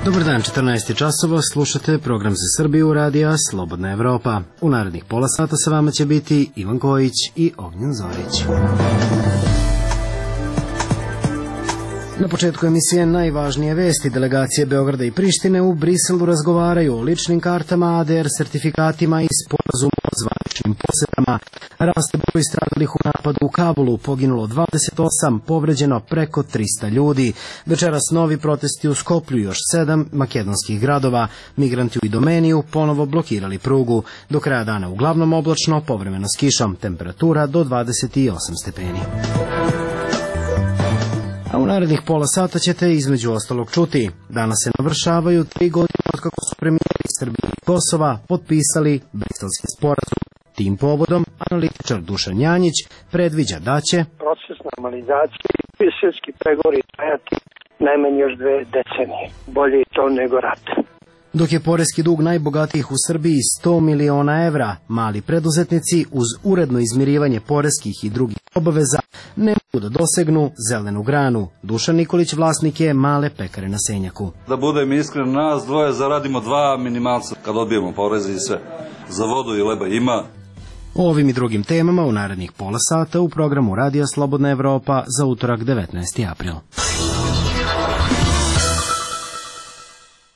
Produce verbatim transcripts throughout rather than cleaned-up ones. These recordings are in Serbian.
Dobar dan, četrnaest časova, slušate program za Srbiju radija Slobodna Evropa. U narednih pola sata sa vama će biti Ivan Kojić i Ognjen Zorić. Na početku emisije najvažnije vesti. Delegacije Beograda i Prištine u Briselu razgovaraju o ličnim kartama, A D R sertifikatima i sporazumu o zvaničnim posetama. Raste broj stradalih u napadu u Kabulu, poginulo dvadeset osam, povređeno preko trista ljudi. Večeras novi protesti u Skoplju, još sedam makedonskih gradova. Migranti u Idomeniju ponovo blokirali prugu. Do kraja dana uglavnom oblačno, povremeno s kišom, temperatura do dvadeset osam stepeni. A u narednih pola sata ćete između ostalog čuti. Danas se navršavaju tri godine od kako su premijeri Srbije i Kosova potpisali Briselski sporazum. Tim povodom analitičar Dušan Janjić predviđa da će proces normalizacije i briselski pregovori trajati najmanje još dve decenije. Bolje je to nego rat. Dok je poreski dug najbogatijih u Srbiji sto miliona evra, mali preduzetnici uz uredno izmirivanje poreskih i drugih obaveza ne mogu da dosegnu zelenu granu. Dušan Nikolić vlasnik je male pekare na Senjaku. Da budem iskren, nas dvoje zaradimo dva minimalca kad odbijemo poreze i sve. Za vodu i leba ima. O ovim i drugim temama u narednih pola sata u programu Radija Slobodna Evropa za utorak devetnaesti april.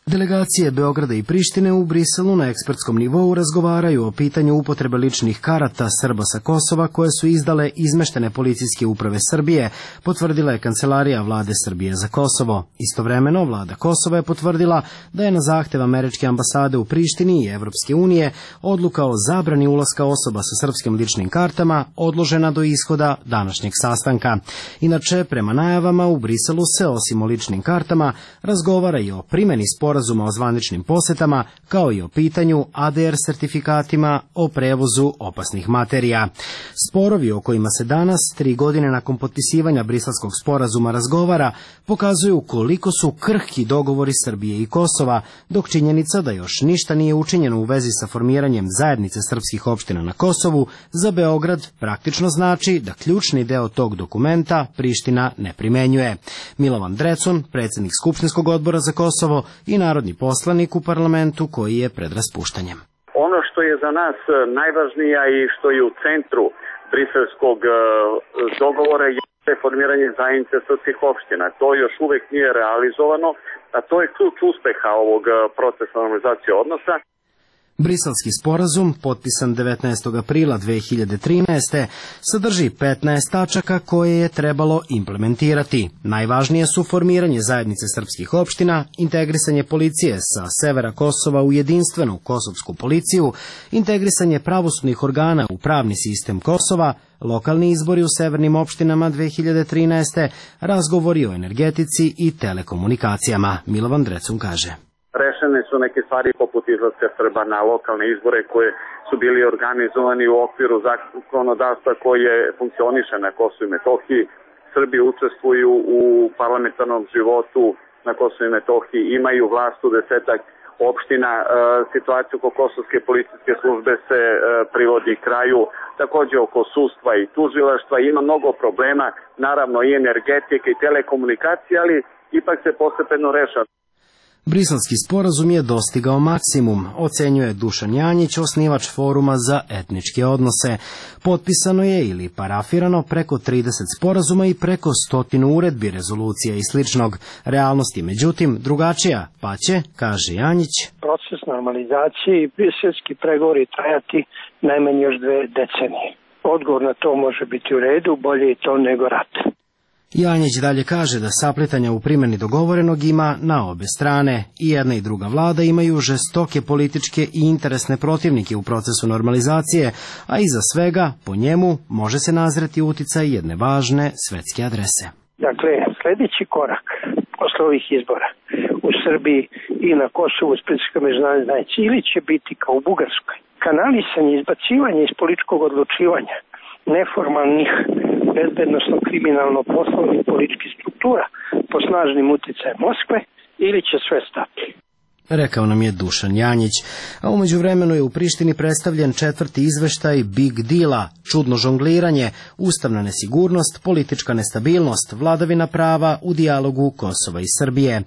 Delegacije Beograda i Prištine u Briselu na ekspertskom nivou razgovaraju o pitanju upotrebe ličnih karata Srba sa Kosova koje su izdale izmeštene policijske uprave Srbije, potvrdila je Kancelarija vlade Srbije za Kosovo. Istovremeno, vlada Kosova je potvrdila da je na zahtev američke ambasade u Prištini i Evropske unije odluka o zabrani ulaska osoba sa srpskim ličnim kartama odložena do ishoda današnjeg sastanka. Inače, prema najavama u Briselu se osim o ličnim kartama razgovara i o primjeni sporazuma sporazuma o zvaničnim posetama, kao i o pitanju A D R sertifikatima o prevozu opasnih materija. Sporovi o kojima se danas, tri godine nakon potpisivanja Briselskog sporazuma razgovara, pokazuju koliko su krhki dogovori Srbije i Kosova, dok činjenica da još ništa nije učinjeno u vezi sa formiranjem zajednice srpskih opština na Kosovu, za Beograd praktično znači da ključni deo tog dokumenta Priština ne primenjuje. Milovan Drecun, predsjednik Skupštinskog odbora za Kosovo i narodni poslanik u parlamentu koji je pred raspuštanjem. Ono što je za nas najvažnija i što je u centru briselskog dogovora je formiranje zajednice srpskih opština. To još uvek nije realizovano, a to je ključ uspeha ovog procesa normalizacije odnosa. Briselski sporazum, potpisan devetnaestog aprila dve hiljade trinaeste. sadrži petnaest tačaka koje je trebalo implementirati. Najvažnije su formiranje zajednice srpskih opština, integrisanje policije sa severa Kosova u jedinstvenu kosovsku policiju, integrisanje pravosudnih organa u pravni sistem Kosova, lokalni izbori u severnim opštinama dve hiljade trinaeste. razgovori o energetici i telekomunikacijama. Milovan Drecun kaže. Rešene su neke stvari poput izlaska Srba na lokalne izbore koje su bili organizovani u okviru zakonodavstva koje funkcioniše na Kosovu i Metohiji. Srbi učestvuju u parlamentarnom životu na Kosovu i Metohiji, imaju vlast u desetak opština, situaciju oko kosovske policijske službe se privodi kraju, takođe oko sudstva i tužilaštva, ima mnogo problema, naravno i energetike i telekomunikacije, ali ipak se postepeno rešava. Briselski sporazum je dostigao maksimum, ocenjuje Dušan Janjić, osnivač foruma za etničke odnose. Potpisano je ili parafirano preko trideset sporazuma i preko stotinu uredbi, rezolucija i sličnog. Realnost je međutim drugačija, pa će, kaže Janjić, proces normalizacije i briselski pregovori trajati najmanje još dve decenije. Odgovor na to može biti u redu, bolje je to nego rat. Janjić dalje kaže da saplitanja u primjeni dogovorenog ima na obe strane. I jedna i druga vlada imaju žestoke političke i interesne protivnike u procesu normalizacije, a iza svega, po njemu, može se nazreti uticaj jedne važne svetske adrese. Dakle, sljedeći korak posle ovih izbora u Srbiji i na Kosovu s pritiskom međunarodne zajednice ili će biti kao u Bugarskoj kanalisanje, izbacivanje iz političkog odlučivanja neformalnih bezbednosno-kriminalno-poslovnih političkih struktura po snažnim uticajem Moskve ili će sve stati. rekao nam je Dušan Janjić, a umeđu vremenu je u Prištini predstavljen četvrti izveštaj Big Deala, čudno žongliranje, ustavna nesigurnost, politička nestabilnost, vladavina prava u dijalogu Kosova i Srbije.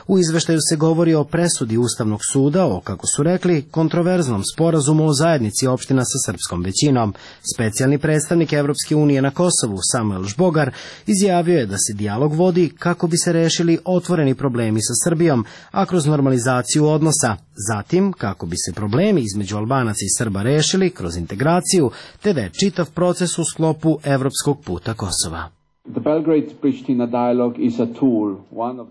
U izveštaju se govori o presudi Ustavnog suda o, kako su rekli, kontroverznom sporazumu o zajednici opština sa srpskom većinom. Specijalni predstavnik Evropske unije na Kosovu, Samuel Žbogar, izjavio je da se dijalog vodi kako bi se rešili otvoreni problemi sa Srbijom, a kroz normalizaciju odnosa, zatim kako bi se problemi između Albanaca i Srba rešili kroz integraciju, te da je čitav proces u sklopu evropskog puta Kosova.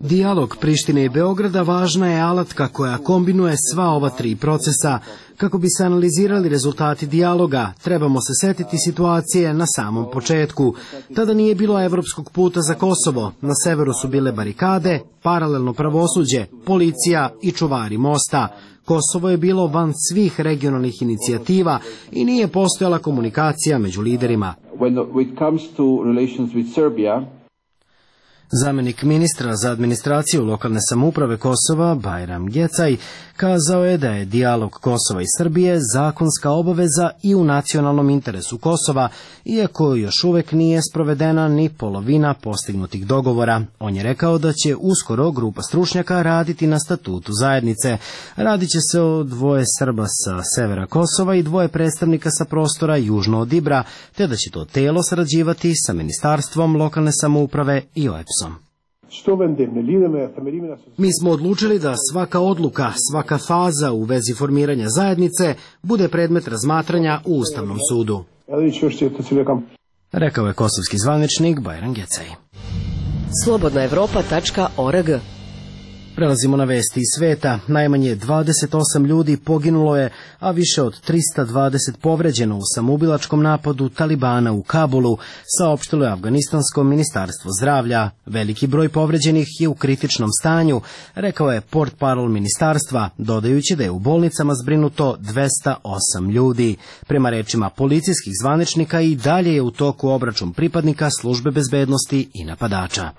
Dijalog Prištine i Beograda važna je alatka koja kombinuje sva ova tri procesa. Kako bi se analizirali rezultati dijaloga, trebamo se setiti situacije na samom početku. Tada nije bilo evropskog puta za Kosovo, na severu su bile barikade, paralelno pravosuđe, policija i čuvari mosta. Kosovo je bilo van svih regionalnih inicijativa i nije postojala komunikacija među liderima. Zamenik ministra za administraciju lokalne samouprave Kosova, Bajram Gecaj, kazao je da je dijalog Kosova i Srbije zakonska obaveza i u nacionalnom interesu Kosova, iako još uvek nije sprovedena ni polovina postignutih dogovora. On je rekao da će uskoro grupa stručnjaka raditi na statutu zajednice. Radit će se o dvoje Srba sa severa Kosova i dvoje predstavnika sa prostora južno od Ibra, te da će to telo sarađivati sa Ministarstvom lokalne samouprave i O E P S-om. Mi smo odlučili da svaka odluka, svaka faza u vezi formiranja zajednice bude predmet razmatranja u Ustavnom sudu, rekao je kosovski zvaničnik Bajram Gecaj. slobodna evropa tačka org. Prelazimo na vesti iz sveta. Najmanje dvadeset osam ljudi poginulo je, a više od trista dvadeset povređeno u samoubilačkom napadu Talibana u Kabulu, saopštilo je Afganistansko ministarstvo zdravlja. Veliki broj povređenih je u kritičnom stanju, rekao je portparol ministarstva, dodajući da je u bolnicama zbrinuto dvesta osam ljudi. Prema rečima policijskih zvaničnika i dalje je u toku obračun pripadnika službe bezbednosti i napadača.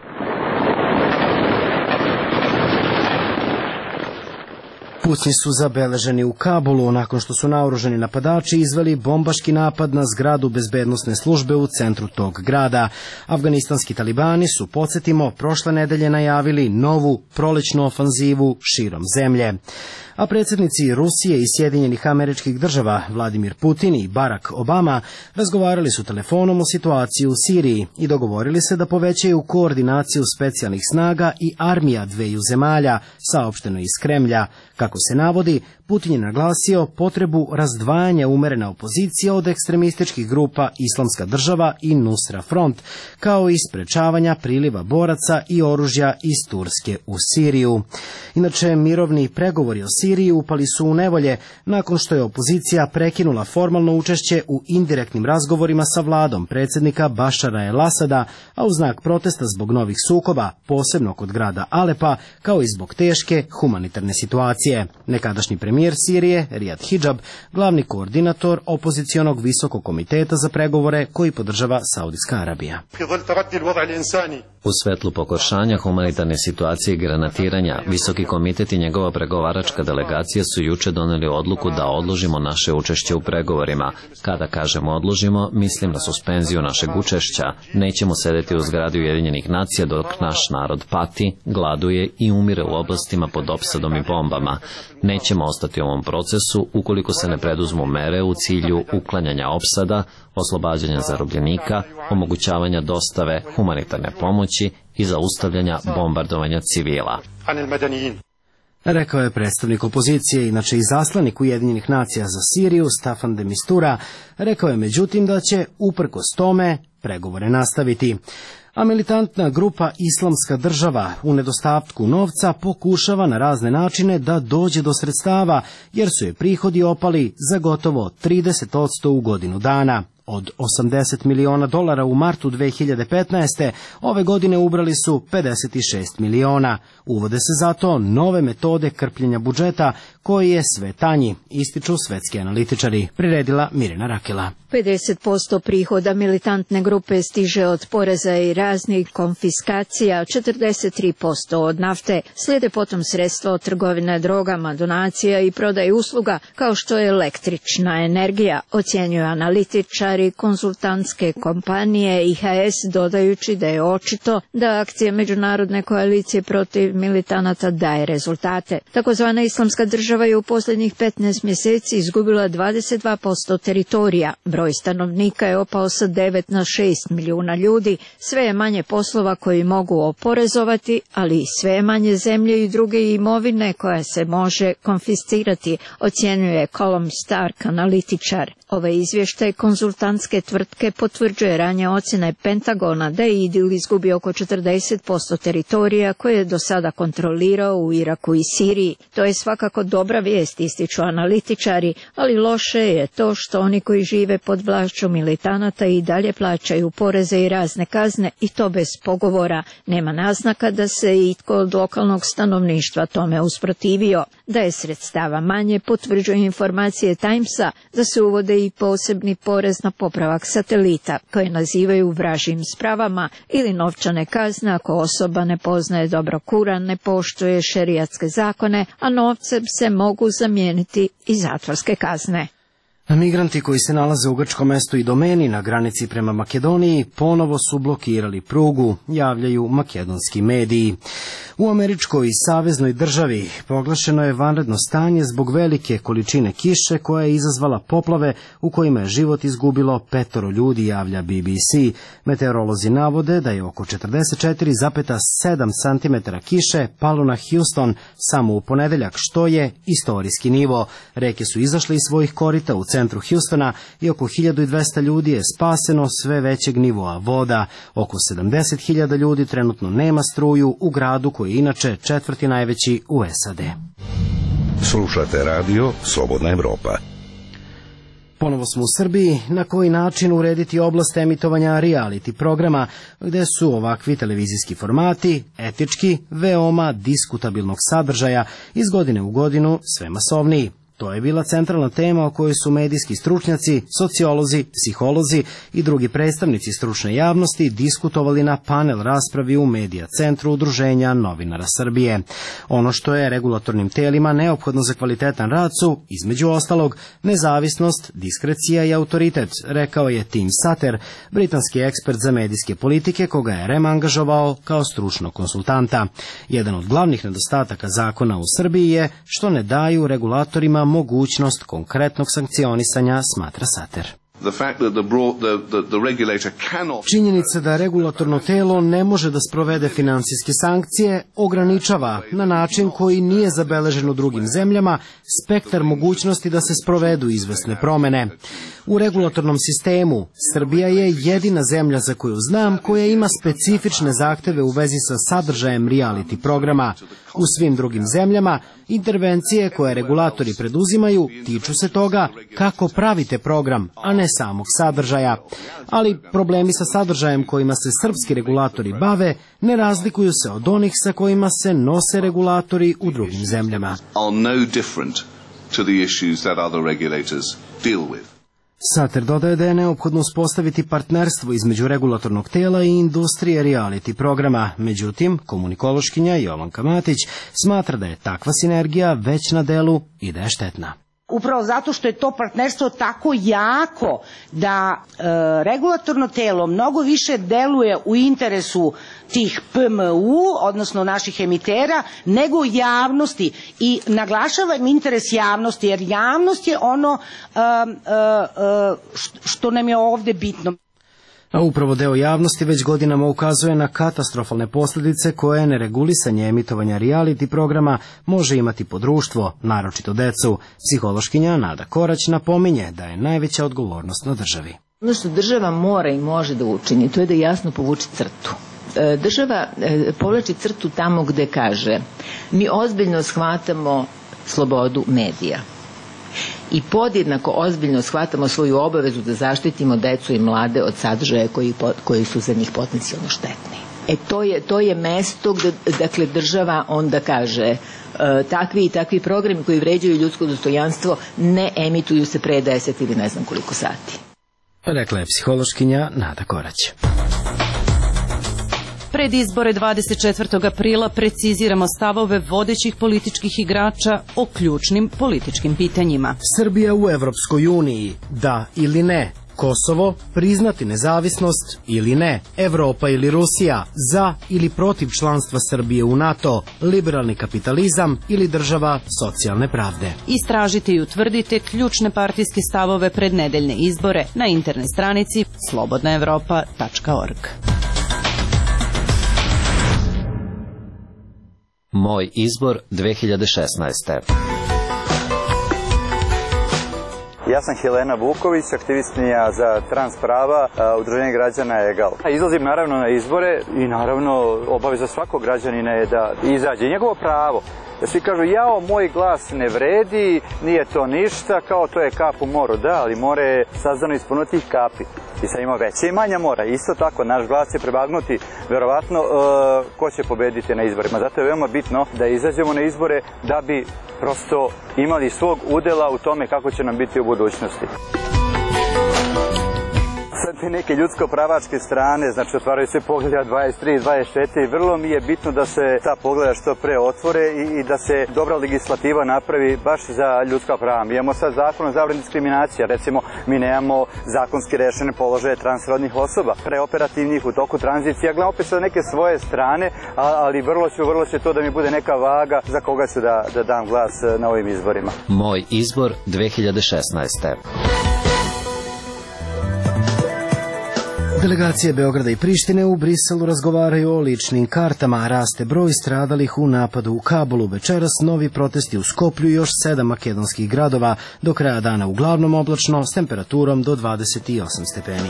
Pucnji su zabeleženi u Kabulu nakon što su naoružani napadači izveli bombaški napad na zgradu bezbednosne službe u centru tog grada. Afganistanski talibani su, podsjetimo, prošle nedelje najavili novu prolećnu ofanzivu širom zemlje. A predsjednici Rusije i Sjedinjenih Američkih Država Vladimir Putin i Barack Obama razgovarali su telefonom o situaciji u Siriji i dogovorili se da povećaju koordinaciju specijalnih snaga i armija dveju zemalja, saopšteno iz Kremlja. Kako se navodi, Putin je naglasio potrebu razdvajanja umerene opozicije od ekstremističkih grupa Islamska država i Nusra Front, kao i sprečavanja priliva boraca i oružja iz Turske u Siriju. Inače, mirovni pregovori o Siriji upali su u nevolje nakon što je opozicija prekinula formalno učešće u indirektnim razgovorima sa vladom predsjednika Bašara el-Asada, a u znak protesta zbog novih sukoba, posebno kod grada Alepa, kao i zbog teške humanitarne situacije. Nekadašnji premijer Sirije, Rijad Hidžab, glavni koordinator opozicionog visokog komiteta za pregovore koji podržava Saudijska Arabija. U svetlu pogoršanja humanitarne situacije i granatiranja, Visoki komitet i njegova pregovaračka delegacija su juče doneli odluku da odložimo naše učešće u pregovorima. Kada kažemo odložimo, mislim na suspenziju našeg učešća. Nećemo sedeti u zgradi Ujedinjenih nacija dok naš narod pati, gladuje i umire u oblastima pod opsadom i bombama. Nećemo ostati u ovom procesu ukoliko se ne preduzmu mere u cilju uklanjanja opsada, oslobađanja zarobljenika, omogućavanja dostave humanitarne pomoći i zaustavljanja bombardovanja civila. Rekao je predstavnik opozicije, inače i zaslanik Ujedinjenih nacija za Siriju, Staffan de Mistura. Rekao je međutim da će, uprkos tome, pregovore nastaviti. A militantna grupa Islamska država u nedostatku novca pokušava na razne načine da dođe do sredstava, jer su je prihodi opali za gotovo trideset posto u godinu dana. Od osamdeset miliona dolara u martu dve hiljade petnaeste. ove godine ubrali su pedeset šest miliona. Uvode se zato nove metode krpljenja budžeta koji je sve tanji, ističu svetski analitičari, priredila Mirjana Rakela. pedeset posto prihoda militantne grupe stiže od poreza i raznih konfiskacija, četrdeset tri posto od nafte, slijede potom sredstva od trgovine drogama, donacija i prodaje usluga, kao što je električna energija, ocjenjuju analitičari konsultantske kompanije I H S, dodajući da je očito da akcija Međunarodne koalicije protiv militanata daje rezultate. Takozvana islamska država je u posljednjih petnaest mjeseci izgubila dvadeset dva posto teritorija. Broj stanovnika je opao sa devet na šest milijuna ljudi, sve je manje poslova koji mogu oporezovati, ali i sve je manje zemlje i druge imovine koja se može konfiscirati, ocjenjuje Colum Stark, analitičar. Ovaj izvještaj konzultantske tvrtke potvrđuje ranije ocjene Pentagona da je IDIL izgubio oko četrdeset posto teritorija koje je do sada kontrolirao u Iraku i Siriji. To je svakako dobra vijest, ističu analitičari, ali loše je to što oni koji žive pod vlašću militanata i dalje plaćaju poreze i razne kazne, i to bez pogovora. Nema naznaka da se itko od lokalnog stanovništva tome usprotivio. Da je sredstava manje, potvrđuje informacije Timesa da se uvode i posebni porez na popravak satelita, koje nazivaju vražim spravama, ili novčane kazne ako osoba ne poznaje dobro Kuran, ne poštuje šerijatske zakone, a novcem se mogu zamijeniti i zatvorske kazne. Migranti koji se nalaze u grčkom mestu i domeni na granici prema Makedoniji ponovo su blokirali prugu, javljaju makedonski mediji. U američkoj saveznoj državi proglašeno je vanredno stanje zbog velike količine kiše koja je izazvala poplave u kojima je život izgubilo petoro ljudi, javlja B B C. Meteorolozi navode da je oko četrdeset četiri zarez sedam santimetara kiše palo na Houston samo u ponedeljak, što je istorijski nivo. Reke su izašle iz svojih korita u centru Houstona i oko hiljadu dvesta ljudi je spaseno sve većeg nivoa voda. Oko sedamdeset hiljada ljudi trenutno nema struju u gradu koji je inače četvrti najveći u S A D. Slušate radio Slobodna Evropa. Ponovo smo u Srbiji. Na koji način urediti oblast emitovanja reality programa, gde su ovakvi televizijski formati etički veoma diskutabilnog sadržaja, iz godine u godinu sve masovniji. To je bila centralna tema o kojoj su medijski stručnjaci, sociolozi, psiholozi i drugi predstavnici stručne javnosti diskutovali na panel raspravi u Medija centru Udruženja novinara Srbije. Ono što je regulatornim telima neophodno za kvalitetan rad su, između ostalog, nezavisnost, diskrecija i autoritet, rekao je Tim Sater, britanski ekspert za medijske politike koga je R E M angažovao kao stručnog konsultanta. Jedan od glavnih nedostataka zakona u Srbiji je što ne daju regulatorima mogućnost konkretnog sankcionisanja, smatra Sater. Činjenica da regulatorno telo ne može da sprovede finansijske sankcije ograničava na način koji nije zabeležen u drugim zemljama spektar mogućnosti da se sprovedu izvesne promene. U regulatornom sistemu Srbija je jedina zemlja za koju znam koja ima specifične zahteve u vezi sa sadržajem reality programa. U svim drugim zemljama intervencije koje regulatori preduzimaju tiču se toga kako pravite program, a ne samog sadržaja. Ali problemi sa sadržajem kojima se srpski regulatori bave ne razlikuju se od onih sa kojima se nose regulatori u drugim zemljama. Sater dodaje da je neophodno uspostaviti partnerstvo između regulatornog tela i industrije reality programa. Međutim, komunikološkinja Jovanka Matić smatra da je takva sinergija već na delu i da je štetna. Upravo zato što je to partnerstvo tako jako da e, regulatorno telo mnogo više deluje u interesu tih P M U, odnosno naših emitera, nego u javnosti. I naglašavam interes javnosti, jer javnost je ono e, e, što nam je ovde bitno. A upravo deo javnosti već godinama ukazuje na katastrofalne posljedice koje neregulisanje emitovanja reality programa može imati po društvo, naročito decu. Psihološkinja Nada Korać napominje da je najveća odgovornost na državi. Ono što država mora i može da učini, to je da jasno povuče crtu. Država povlači crtu tamo gde kaže mi ozbiljno shvatamo slobodu medija i podjednako ozbiljno shvatamo svoju obavezu da zaštitimo decu i mlade od sadržaja koji, koji su za njih potencijalno štetni. E to je, to je mesto gde, dakle, država onda kaže e, takvi i takvi programi koji vređaju ljudsko dostojanstvo ne emituju se pre deset ili ne znam koliko sati. Rekla je psihološkinja Nada Korać. Pred izbore dvadeset četvrtog aprila preciziramo stavove vodećih političkih igrača o ključnim političkim pitanjima. Srbija u Evropskoj uniji, da ili ne? Kosovo, priznati nezavisnost ili ne? Evropa ili Rusija, za ili protiv članstva Srbije u NATO? Liberalni kapitalizam ili država socijalne pravde? Istražite i utvrdite ključne partijske stavove pred nedeljne izbore na internet stranici slobodna evropa tačka org. Moj izbor dve hiljade šesnaeste. Ja sam Helena Vuković, aktivistkinja za trans prava, Udruženje građana Egal. Izlazim naravno na izbore i naravno obaveza svakog građanina je da izađe. Njegovo pravo. Da svi kažu, jao, moj glas ne vredi, nije to ništa, kao to je kap u moru. Da, ali more je sazdano iz puno tih kapi. I sad ima veće i manja mora. Isto tako, naš glas će prebagnuti verovatno uh, ko će pobediti na izborima. Zato je veoma bitno da izađemo na izbore da bi prosto imali svog udela u tome kako će nam biti u budućnosti. Sad te neke ljudsko-pravačke strane, znači otvaraju se pogleda dvadeset tri i dvadeset četiri, vrlo mi je bitno da se ta pogleda što pre otvore i, i da se dobra legislativa napravi baš za ljudska prava. Mi imamo sad zakon o zabrani diskriminacije, recimo mi nemamo zakonski rešene položaje transrodnih osoba, preoperativnih u toku tranzicije. Ja gledam opet sa neke svoje strane, ali vrlo ću, vrlo će to da mi bude neka vaga za koga ću da, da dam glas na ovim izborima. Moj izbor dve hiljade šesnaeste. Delegacije Beograda i Prištine u Briselu razgovaraju o ličnim kartama, raste broj stradalih u napadu u Kabulu. Večeras novi protesti u Skoplju i još sedam makedonskih gradova, do kraja dana uglavnom oblačno s temperaturom do dvadeset osam stepeni.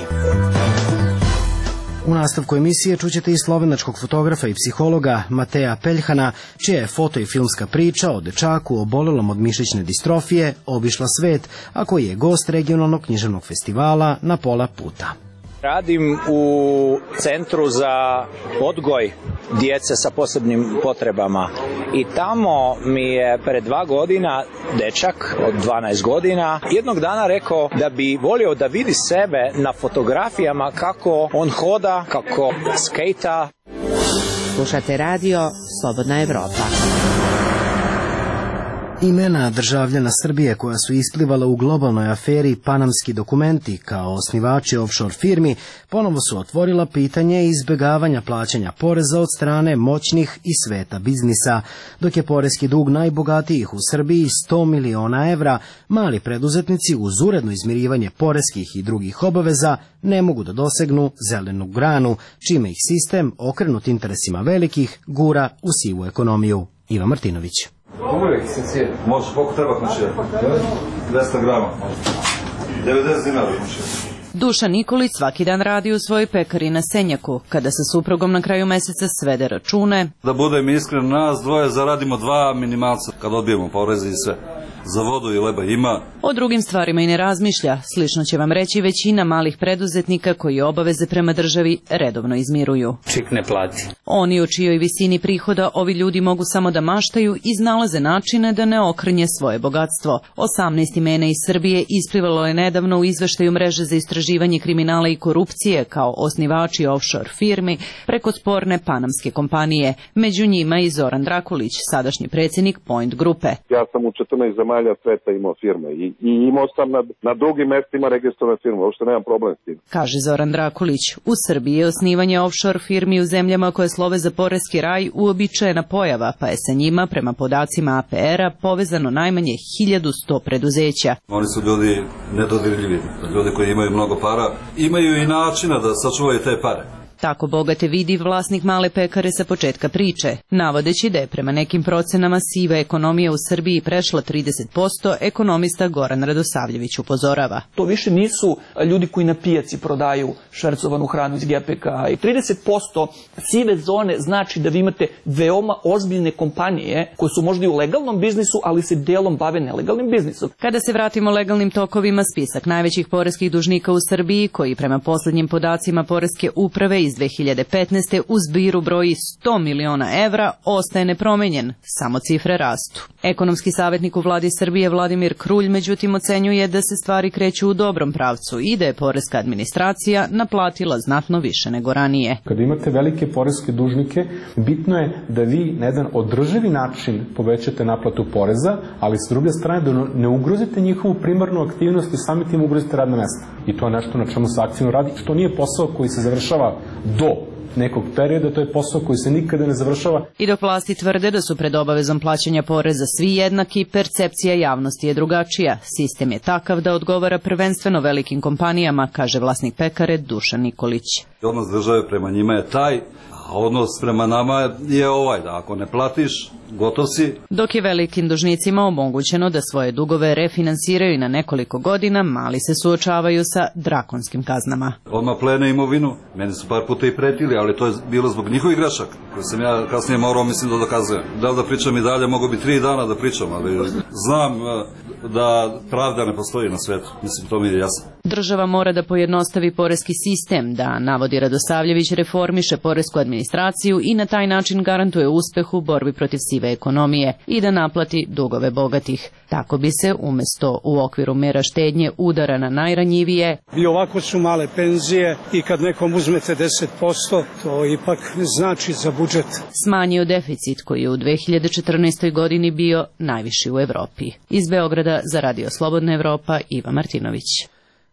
U nastavku emisije čućete i slovenačkog fotografa i psihologa Mateja Peljhana, čija je foto i filmska priča o dečaku obolelom od mišićne distrofije obišla svet, a koji je gost regionalnog književnog festivala Na pola puta. Radim u Centru za odgoj djece sa posebnim potrebama i tamo mi je pred dva godina dečak od dvanaest godina jednog dana rekao da bi volio da vidi sebe na fotografijama kako on hoda, kako skejta. Slušate radio Slobodna Evropa. Imena državljana Srbije koja su isplivala u globalnoj aferi Panamski dokumenti kao osnivači offshore firmi ponovo su otvorila pitanje izbjegavanja plaćanja poreza od strane moćnih i sveta biznisa. Dok je poreski dug najbogatijih u Srbiji sto miliona evra, mali preduzetnici uz uredno izmirivanje poreskih i drugih obaveza ne mogu da dosegnu zelenu granu, čime ih sistem, okrenut interesima velikih, gura u sivu ekonomiju. Iva Martinović. Uvijek se cijeli. Može, koliko treba končirati? dvesta grama. devedeset dinara končirati. Dušan Nikolić svaki dan radi u svojoj pekari na Senjaku. Kada sa suprugom na kraju meseca svede račune. Da budem iskren, nas dvoje zaradimo dva minimalca kad odbijemo poreze i sve. Za vodu i leba ima. O drugim stvarima i ne razmišlja. Slično će vam reći većina malih preduzetnika koji obaveze prema državi redovno izmiruju. Čik ne plati. Oni o čijoj visini prihoda ovi ljudi mogu samo da maštaju i iznalaze načine da ne okrnje svoje bogatstvo. osamnaest imena iz Srbije isplivalo je nedavno u izveštaju mreže za istraživanje kriminala i korupcije kao osnivači offshore firmi preko sporne panamske kompanije. Među njima i Zoran Drakulić, sadašnji predsjednik Point grupe. Ja sam u četrnaest zemalja sveta imao firme i, i imao sam na, na drugim mestima registrovane firme, uopšte nemam problem s tim. Kaže Zoran Drakulić, u Srbiji je osnivanje offshore firmi u zemljama koje slove za poreski raj uobičajena pojava, pa je sa njima, prema podacima A P R-a, povezano najmanje hiljadu sto preduzeća. Oni su ljudi nedodirljivi, ljudi koji imaju mnogo para, imaju i načina da sačuvaju te pare. Tako bogate vidi vlasnik male pekare sa početka priče, navodeći da je prema nekim procenama siva ekonomija u Srbiji prešla trideset posto, ekonomista Goran Radosavljević upozorava. To više nisu ljudi koji na pijaci prodaju švercovanu hranu iz G P K. I trideset posto sive zone znači da vi imate veoma ozbiljne kompanije koje su možda i u legalnom biznisu, ali se delom bave nelegalnim biznisom. Kada se vratimo legalnim tokovima, spisak najvećih poreskih dužnika u Srbiji, koji prema poslednjim podacima Poreske uprave iz dve hiljade petnaeste u zbiru broji sto miliona evra, ostaje nepromenjen, samo cifre rastu. Ekonomski savjetnik u vladi Srbije Vladimir Krulj međutim ocenjuje da se stvari kreću u dobrom pravcu i da je poreska administracija naplatila znatno više nego ranije. Kada imate velike poreske dužnike, bitno je da vi na jedan održivi način povećate naplatu poreza, ali s druge strane da ne ugrozite njihovu primarnu aktivnost i sami tim ugrozite radna mesta. I to je nešto na čemu se aktivno radi, što nije posao koji se završava do nekog perioda, to je posao koji se nikada ne završava. I dok vlasti tvrde da su pred obavezom plaćanja poreza svi jednaki, percepcija javnosti je drugačija. Sistem je takav da odgovara prvenstveno velikim kompanijama, kaže vlasnik pekare Dušan Nikolić. Odnos države prema njima je taj, a odnos prema nama je ovaj, da ako ne platiš, gotov si. Dok je velikim dužnicima omogućeno da svoje dugove refinansiraju na nekoliko godina, mali se suočavaju sa drakonskim kaznama. Odmah plene imovinu, meni su par puta i pretili, ali to je bilo zbog njihovih grešaka, koje sam ja kasnije morao, mislim, da dokazujem. Da li da pričam i dalje, mogu bi tri dana da pričam, ali znam da pravda ne postoji na svetu, mislim, to mi je jasno. Država mora da pojednostavi poreski sistem, da, navodi Radosavljević, reformiše poresku administraciju i na taj način garantuje uspeh u borbi protiv sive ekonomije i da naplati dugove bogatih. Tako bi se, umesto u okviru mera štednje udara na najranjivije, i ovako su male penzije i kad nekom uzmete deset posto, to ipak znači za budžet. Smanjio deficit koji je u dve hiljade četrnaestoj godini bio najviši u Evropi. Iz Beograda za Radio Slobodna Evropa, Iva Martinović.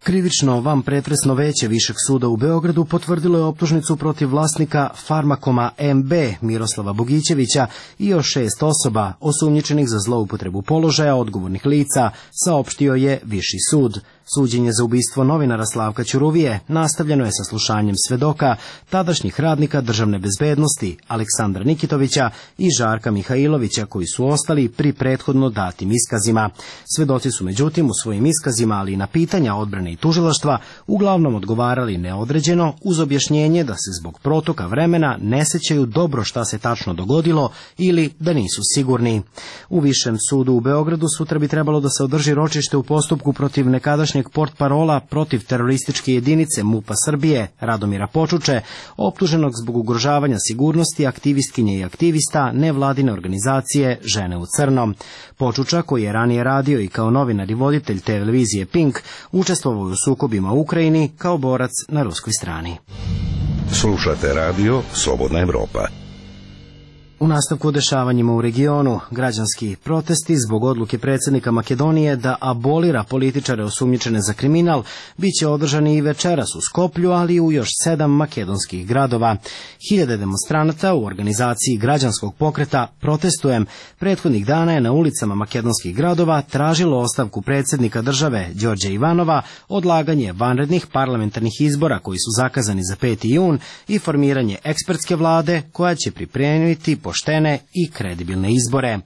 Krivično vanpretresno veće Višeg suda u Beogradu potvrdilo je optužnicu protiv vlasnika Farmakoma M B Miroslava Bogićevića i još šest osoba osumnjičenih za zloupotrebu položaja odgovornih lica, saopštio je Viši sud. Suđenje za ubistvo novinara Slavka Ćuruvije nastavljeno je sa slušanjem svedoka, tadašnjih radnika državne bezbednosti Aleksandra Nikitovića i Žarka Mihajlovića, koji su ostali pri prethodno datim iskazima. Svedoci su međutim u svojim iskazima, ali i na pitanja odbrane i tužilaštva, uglavnom odgovarali neodređeno uz objašnjenje da se zbog protoka vremena ne sećaju dobro šta se tačno dogodilo ili da nisu sigurni. U Višem sudu u Beogradu sutra bi trebalo da se održi ročište u postupku protiv nekadašnjeg portparola protiv terorističke jedinice MUP-a Srbije Radomira Počuče, optuženog zbog ugrožavanja sigurnosti aktivistkinje i aktivista nevladine organizacije Žene u crnom. Počuča, koji je ranije radio i kao novinar i voditelj televizije Pink, učestvovao u sukobima u Ukrajini kao borac na ruskoj strani. Slušate radio Slobodna Evropa. U nastavku o dešavanjima u regionu, građanski protesti zbog odluke predsjednika Makedonije da abolira političare osumnjičene za kriminal biće održani i večeras u Skoplju, ali i u još sedam makedonskih gradova. Hiljade demonstranata u organizaciji građanskog pokreta Protestujem prethodnih dana je na ulicama makedonskih gradova tražilo ostavku predsjednika države Đorđa Ivanova, odlaganje vanrednih parlamentarnih izbora koji su zakazani za peti jun i formiranje ekspertske vlade koja će pripremiti poštene i kredibilne izbore.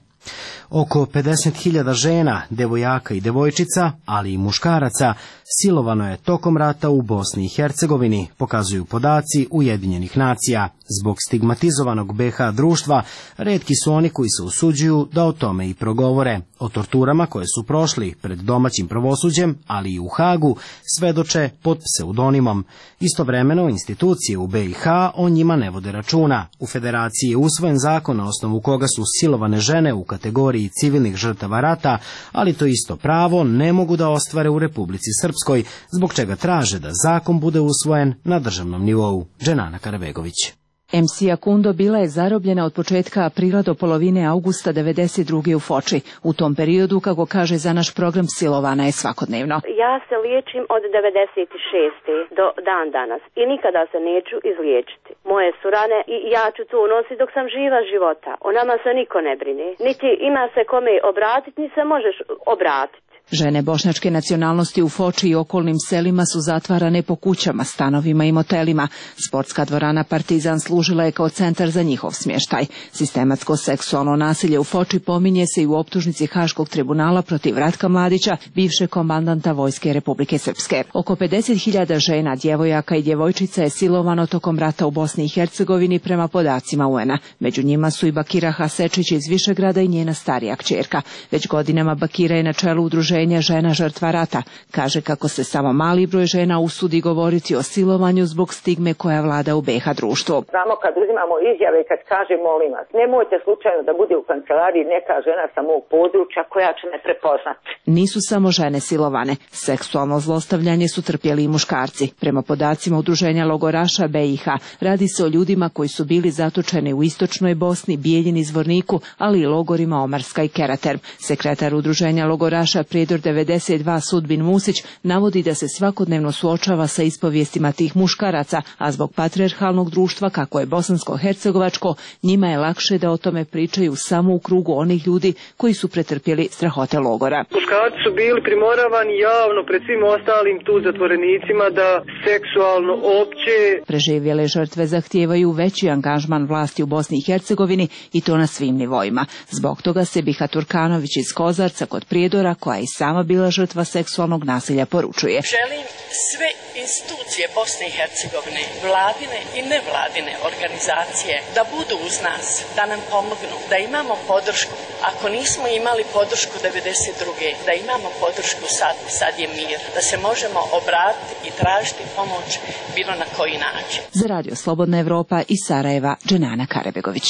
Oko pedeset hiljada žena, devojaka i devojčica, ali i muškaraca, silovano je tokom rata u Bosni i Hercegovini, pokazuju podaci Ujedinjenih nacija. Zbog stigmatizovanog be ha društva, retki su oni koji se usuđuju da o tome i progovore. O torturama koje su prošli pred domaćim pravosuđem, ali i u Hagu, svedoče pod pseudonimom. Istovremeno, institucije u be i ha o njima ne vode računa. U Federaciji je usvojen zakon na osnovu koga su silovane žene u kategoriji civilnih žrtava rata, ali to isto pravo ne mogu da ostvare u Republici Srpskoj, zbog čega traže da zakon bude usvojen na državnom nivou. Dženana Karabegović. em ce Akundo bila je zarobljena od početka aprila do polovine avgusta devedeset druge u Foči. U tom periodu, kako kaže za naš program, silovana je svakodnevno. Ja se liječim od devedeset šeste do dan danas i nikada se neću izliječiti. Moje su rane i ja ću to nositi dok sam živa života. O nama se niko ne brine. Niti ima se kome obratiti, ni se možeš obratiti. Žene bošnjačke nacionalnosti u Foči i okolnim selima su zatvarane po kućama, stanovima i motelima. Sportska dvorana Partizan služila je kao centar za njihov smještaj. Sistematsko seksualno nasilje u Foči pominje se i u optužnici Haškog tribunala protiv Ratka Mladića, bivšeg komandanta Vojske Republike Srpske. Oko pedeset hiljada žena, djevojaka i djevojčica je silovano tokom rata u Bosni i Hercegovini prema podacima U N-a. Među njima su i Bakira Hasečić iz Višegrada i njena starija kćerka. Već godinama Bakira je na čelu udruženja Žena žrtva rata. Kaže kako se samo mali broj žena usudi govoriti o silovanju zbog stigme koja vlada u B iH društvu. Samo kad uzimamo izjave i kad kaže molim vas, nemojte slučajno da bude u kancelariji neka žena sa mog područja koja će me prepoznati. Nisu samo žene silovane. Seksualno zlostavljanje su trpjeli i muškarci. Prema podacima udruženja logoraša B iH, radi se o ljudima koji su bili zatočeni u istočnoj Bosni, Bijeljini, Zvorniku, ali i logorima Omarska i Kerater. Sekretar udruženja logoraša Prijedor devedeset dva Sudbin Musić navodi da se svakodnevno suočava sa ispovijestima tih muškaraca, a zbog patrijarhalnog društva kako je bosansko-hercegovačko, njima je lakše da o tome pričaju samo u krugu onih ljudi koji su pretrpjeli strahote logora. Muškarci su bili primoravani javno pred svim ostalim tu zatvorenicima da seksualno opće. Preživjele žrtve zahtijevaju veći angažman vlasti u Bosni i Hercegovini i to na svim nivoima. Zbog toga se Biha Turkanović iz Kozarca kod Prijedora, koja je i sama bila žrtva seksualnog nasilja, poručuje. Želim sve institucije Bosne i Hercegovine, vladine i nevladine organizacije da budu uz nas, da nam pomognu, da imamo podršku. Ako nismo imali podršku devedeset druge da imamo podršku sad, sad je mir, da se možemo obratiti i tražiti pomoć bilo na koji način. Za Radio Slobodna Evropa iz Sarajeva, Dženana Karebegović.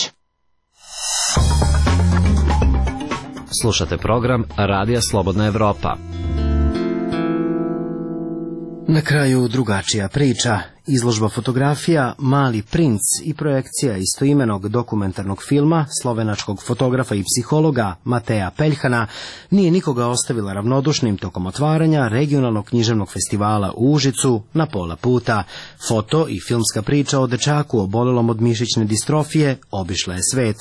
Slušate program Radija Slobodna Evropa. Na kraju drugačija priča. Izložba fotografija Mali princ i projekcija istoimenog dokumentarnog filma slovenačkog fotografa i psihologa Mateja Peljhana nije nikoga ostavila ravnodušnim tokom otvaranja regionalnog književnog festivala u Užicu na pola puta. Foto i filmska priča o dečaku obolelom od mišićne distrofije obišla je svet.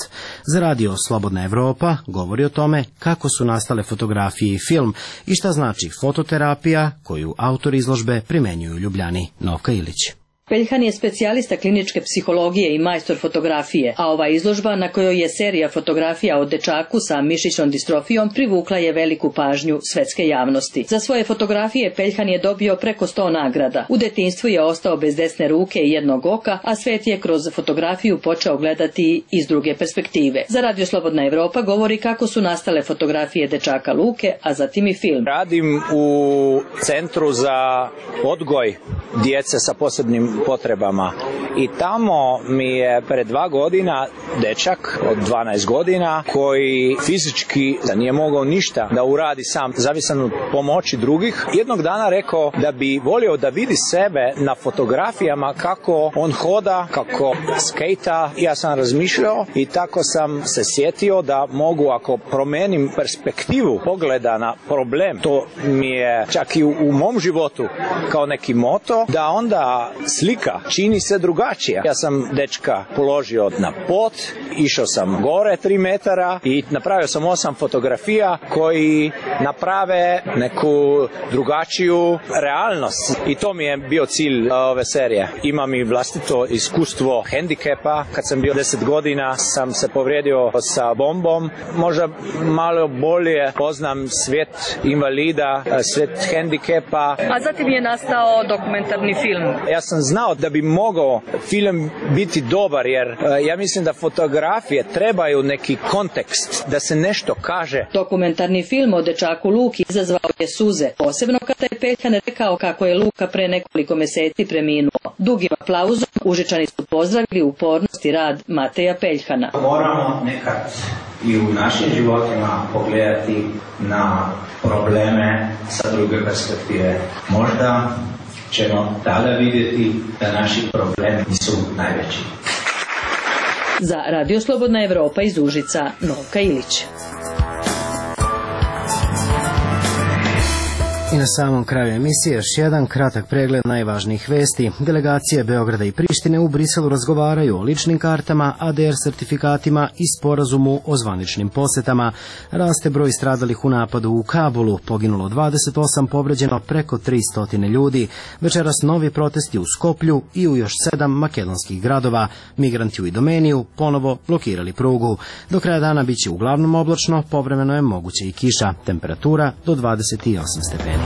Za Radio Slobodna Evropa govori o tome kako su nastale fotografije i film i šta znači fototerapija koju autor izložbe primenjuju u Ljubljani. Novka Ilić. Peljhan je specijalista kliničke psihologije i majstor fotografije, a ova izložba na kojoj je serija fotografija o dečaku sa mišićnom distrofijom privukla je veliku pažnju svetske javnosti. Za svoje fotografije Peljhan je dobio preko sto nagrada. U detinjstvu je ostao bez desne ruke i jednog oka, a svet je kroz fotografiju počeo gledati iz druge perspektive. Za Radio Slobodna Evropa govori kako su nastale fotografije dečaka Luke, a zatim i film. Radim u Centru za odgoj djece sa posebnim potrebama i tamo mi je pre dva godina dečak od dvanaest godina koji fizički da nije mogao ništa da uradi sam, zavisan od pomoći drugih, jednog dana rekao da bi volio da vidi sebe na fotografijama kako on hoda, kako skejta. Ja sam razmišljao i tako sam se sjetio da mogu, ako promenim perspektivu pogleda na problem, to mi je čak i u, u mom životu kao neki moto, da onda slika čini se drugačija. Ja sam dečka položio na pod, išao sam gore tri metara i napravio sam osam fotografija koji naprave neku drugačiju realnost. I to mi je bio cilj ove serije. Imam i vlastito iskustvo hendikepa. Kad sam bio deset godina sam se povrijedio sa bombom. Možda malo bolje poznam svijet invalida, svijet hendikepa. A zatim je nastao dokumentarni film. Ja sam znao da bi mogao film biti dobar, jer uh, ja mislim da fotografije trebaju neki kontekst, da se nešto kaže. Dokumentarni film o dečaku Luki izazvao je suze, posebno kada je Peljhan rekao kako je Luka pre nekoliko meseci preminuo. Dugim aplauzom Užičani su pozdravili upornost i rad Mateja Peljhana. Moramo nekad i u našim životima pogledati na probleme sa druge perspektive. Možda ćemo tada vidjeti da naši problemi nisu najveći. Za Radio Slobodna Evropa iz Užica, Novka Ilić. I na samom kraju emisije još jedan kratak pregled najvažnijih vesti. Delegacije Beograda i Prištine u Briselu razgovaraju o ličnim kartama, A D R sertifikatima i sporazumu o zvaničnim posetama. Raste broj stradalih u napadu u Kabulu, poginulo dvadeset osam, povređeno preko tristo ljudi. Večeras novi protesti u Skoplju i u još sedam makedonskih gradova. Migranti u Idomeniju ponovo blokirali prugu. Do kraja dana biće uglavnom oblačno, povremeno je moguće i kiša. Temperatura do dvadeset osam stepeni.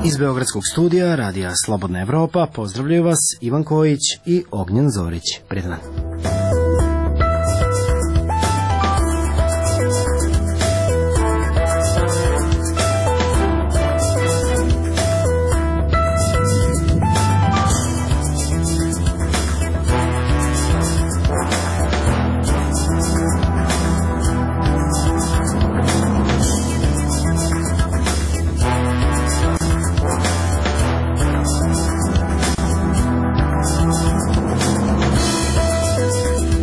Iz Beogradskog studija Radija Slobodna Evropa pozdravljaju vas Ivan Kojić i Ognjen Zorić. Prijetan.